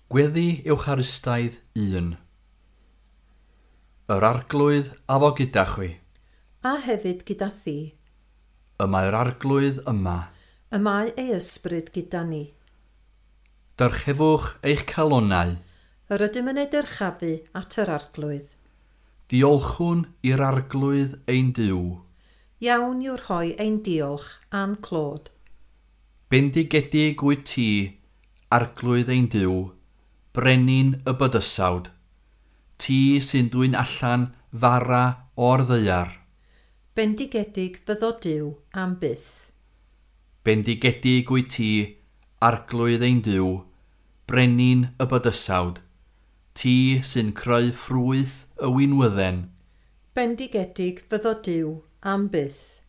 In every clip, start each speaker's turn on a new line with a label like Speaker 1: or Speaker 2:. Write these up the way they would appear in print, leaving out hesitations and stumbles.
Speaker 1: Gweddi Ewcharistaidd 1. Yr Arglwydd a fo gyda chwi.
Speaker 2: A hefyd gyda thi.
Speaker 1: Y mae'r Arglwydd yma.
Speaker 2: Y mae ei ysbryd gyda ni.
Speaker 1: Dyrchefwch eich calonnau.
Speaker 2: Yr ydym yn ei dyrchafu at yr Arglwydd.
Speaker 1: Diolchwn i'r Arglwydd ein Duw.
Speaker 2: Iawn yw rhoi ein diolch a'n clod.
Speaker 1: Bendigedig wyt ti, Arglwydd ein Duw, brenin y bydysawd, ti sy'n dwyn allan fara o'r ddaear.
Speaker 2: Bendigedig fyddo Duw am byth.
Speaker 1: Bendigedig wyt ti, Arglwydd ein Duw, brenin y bydysawd, ti sy'n creu ffrwyth y winwydden.
Speaker 2: Bendigedig fyddo Duw am byth.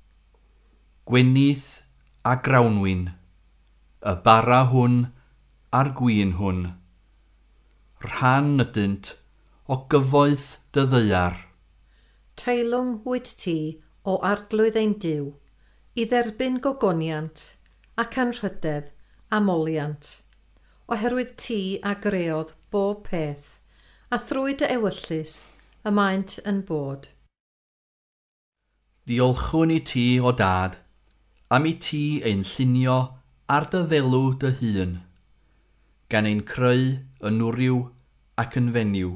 Speaker 1: Gwenith a grawnwin, y bara hwn a'r gwin hwn. Rhan ydynt o gyfoeth dy ddaear.
Speaker 2: Teilwng wyt ti o Arglwydd ein Duw, i dderbyn gogoniant ac anrhydedd a moliant, oherwydd ti a greodd bob peth, a thrwy dy ewyllys y maent yn bod.
Speaker 1: Diolchwn i ti, o Dad, am i ti ein llunio ar dy ddelw dy hun, gan ein creu yn wryw ac yn fenyw,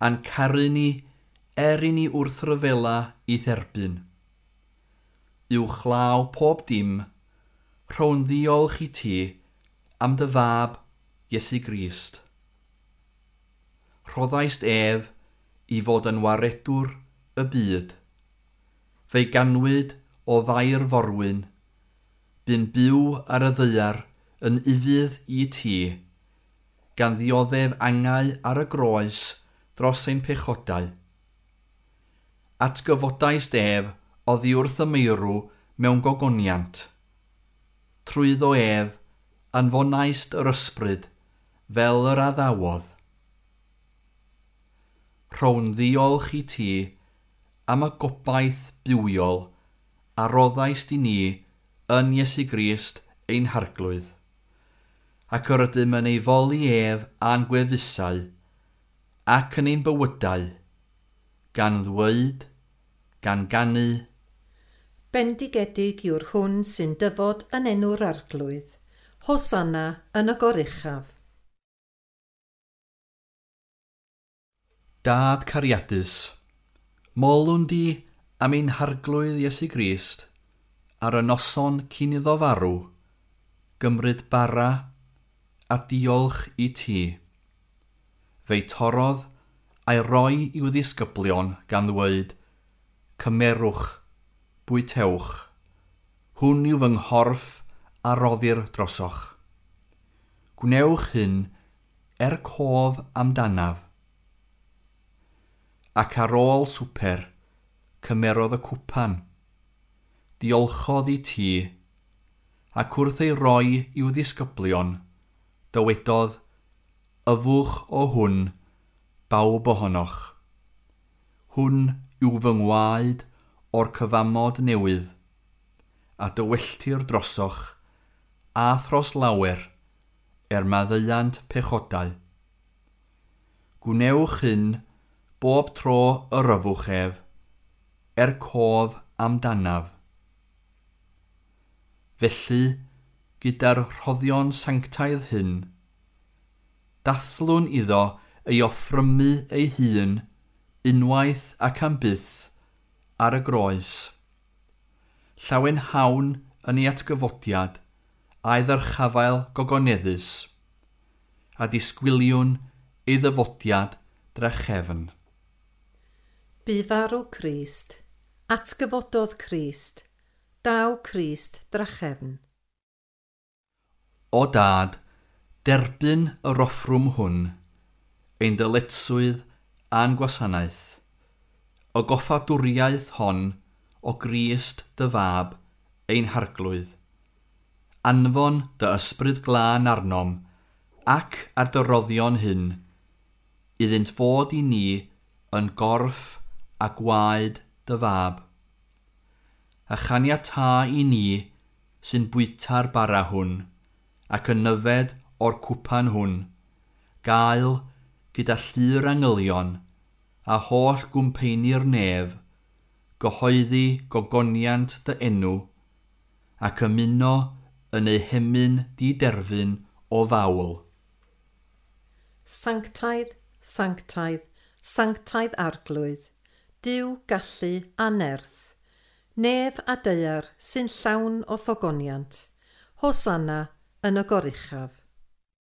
Speaker 1: a'n caru ni er i ni wrthryfela i dderbyn. Uwchlaw pob dim, rhown ddiolch i ti am dy fab Iesu Grist. Rhoddaist ef i fod yn waredwr y byd. Fe'i ganwyd o Fair Forwyn, bu'n byw ar y ddaear yn ufudd i ti, gan ddioddef angau ar y groes dros ein pechodau. Atgyfodaist ef oddi wrth y meirw mewn gogoniant. Trwyddo ef, anfonaist yr ysbryd fel yr addawodd. Rhown ddiolch i ti am y gobaith bywiol a roddaist i ni yn Iesu Grist ein Harglwydd, ac yr ydym yn ei foli ef a'n gwefusau ac yn ein bywydau, gan ddweud, gan ganu.
Speaker 2: Bendigedig yw'r hwn sy'n dyfod yn enw'r Arglwydd, Hosanna yn y goruchaf.
Speaker 1: Dad cariadus, molwn di am ein Harglwydd Iesu Grist ar y noson cyn iddo farw, gymryd bara a diolch i ti. Fe'i torrodd a'i roi i'w ddisgyblion gan ddweud, cymerwch, bwytewch, hwn yw fy nghorff a roddir drosoch. Gwnewch hyn er cof amdanaf. Ac ar ôl swper, cymerodd y cwpan, diolchodd i ti, ac wrth ei roi i'w ddisgyblion, dywedodd, yfwch o hwn, bawb ohonoch. Hwn yw fy ngwaed o'r cyfamod newydd, a dywelltir drosoch, a thros lawer, er maddeuant pechodau. Gwnewch hyn bob tro yr yfwch ef, er cof amdanaf. Felly, gyda'r rhoddion sanctaidd hyn, dathlwn iddo ei offrymu ei hun unwaith ac am byth ar y groes. Llawenhawn yn ei atgyfodiad a'i ddyrchafael gogoneddus, a disgwyliwn ei ddyfodiad drachefn.
Speaker 2: Bu farw Crist, atgyfododd Crist, daw Crist drachefn.
Speaker 1: O Dad, derbyn yr offrwm hwn, ein dyletswydd a'n gwasanaeth, y goffadwriaeth hon o Grist dy fab, ein Harglwydd. Anfon dy ysbryd glân arnom, ac ar dy roddion hyn, iddynt fod i ni yn gorff a gwaed dy fab. A chaniatâ i ni sy'n bwyta'r bara hwn, ac yn yfed o'r cwpan hwn, Gael gyda llu'r angylion a holl gwmpeini'r nef, gyhoeddi gogoniant dy enw, ac ymuno yn eu hemyn diderfyn o fawl.
Speaker 2: Sanctaidd, sanctaidd, sanctaidd arglwydd, Duw gallu a nerth, nef a daear sy'n llawn o thogoniant, Hosanna yn y goruchaf.